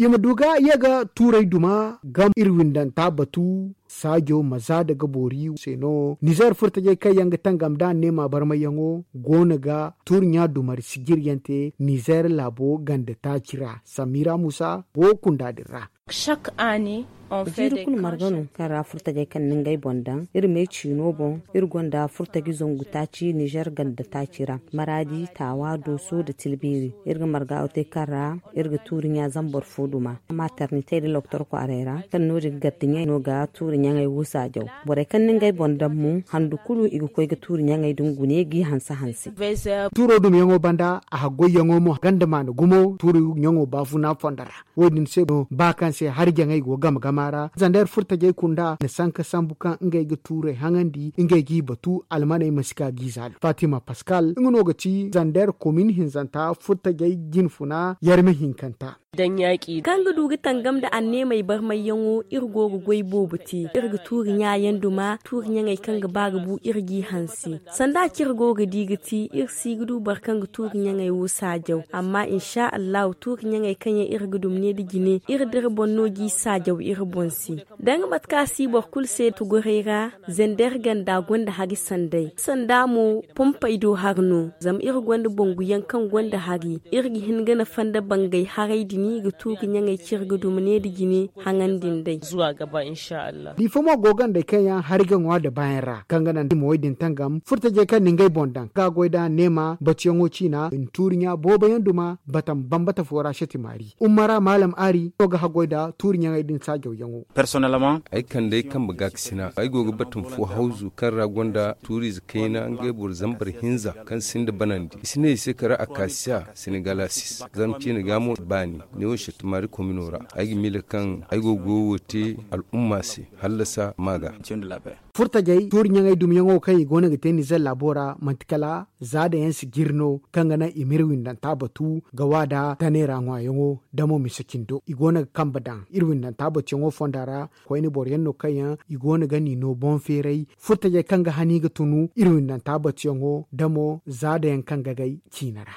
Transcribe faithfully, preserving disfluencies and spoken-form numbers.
I ma du ga ye ga tuuray duma gam iri windanta batu. Saajo ma za daga boori se no nizeer furtajey kaŋ yaŋ ga tangam nd'a neema barmayyaŋo goono ga tuuri ɲa dumari sijiryaŋ te nizeer laabo ganda taaci ra. Samira muusa go kunda din ra. Jiiri kulu marga no kaŋ ra furtajey kaŋ na ngey boŋ daŋ iri me ciino boŋ. Iri gonda furtaji zangu taaci nizeer ganda taaci ra, maraadi taawa dooso nda tilbiiri. Iri ga marga wo te kaŋ ra iri ga tuuri ɲa zambar fo duma maternitey nda loktor kwaaray ra, kaŋ no- din gardiɲey no ga tuuri ɲaŋey wo saajaw. Borey kaŋ na ngey boŋ daŋ mo handu kulu i ga koy ga tuuri ɲaŋey din gune g'i hanse hanse. Tuuro dumyaŋo banda a haggoyyaŋo mo ganda maana gumo tuuri ɲaŋo baafuna fondo ra. Wo- din se no ba kaŋ se hari jaŋey go game gama ra zandeer furtajey kunda na sanka sambu kaŋ ngey ga tuurey haŋandi ngey g'i batu almaney ma si ka g'i zaalo fatima paskal nga no ga ci zandeer komin hinzanta furtajey jinfuna yarme hinkanta. Kaŋ ga du ga tangam nda anneemey barmayyaŋo iri go ga goy boobo te. Iri ga tuuri ɲaayaŋ duma tuuri ɲaŋey kaŋ ga ba ga bu iri g'i hanse. Sanda kaŋ iri go ga di ga ti iri si ga du boro kaŋ ga tuuri ɲaŋey wo saajaw amma insa allahu tuuri ɲaŋey kaŋ yaŋ iri ga duma ne nda jine iri da iri boŋ no g'i saajaw iri boŋ se. Da nga mate kaŋ a si boro kulu se tuguray ra. Zandeer ganda gonda hari sanday sanda mo pompey do hari no zama iri gonda banguyaŋ kaŋ gonda hari. Iri ga hin ga nafa nda bangay haray din ga tu ga ɲaŋey cire ga duma ne nda jine haŋandi nd'ey. Diifa mo go gandey kaŋ yaŋ hari ga ŋwa nda baayaŋ ra kaŋ ga naŋ da i ma wo- din tangam furtajey kaŋ na ngey boŋ daŋ ga goy nd'a neema batuyaŋo ciina i na tuuri ɲa boobo yaŋ duma batam bambata fo ra seti maari umma ra maalam aari no ga haggoy nda tuuri ɲaŋey din saajawyaŋo. Ay kande ay kambe ga ga sina ay go ga batam fo hawzu kaŋ ra gonda tuuriize kayna ngey boro zambar hinza kaŋ sinda banandi i si ne i se kala akasiya senegalasis zama ciine ga mo baani. Ne wo settumari komino ra ay ga miila kaŋ ay go ga goyo wo te al'umma se hallasa ma ga. Furtajey tuuri ɲaŋey dumyaŋo kaŋ i go no ga te nizer laabo ra manti kala za da yaŋ si jiri no kaŋ ga naŋ i ma iri windanta batu ga wa nda taney ra ŋwaayaŋo da mo mise cindo i go no ga kambe daŋ iri windanta batuyaŋo fonda ra. Koyne boro yaŋ no kaŋ yaŋ i go no ga ni no boŋ feeray furtajey kaŋ ga hani ga tunu iri windanta batuyaŋo da mo za da yaŋ kaŋ ga gay ciine ra.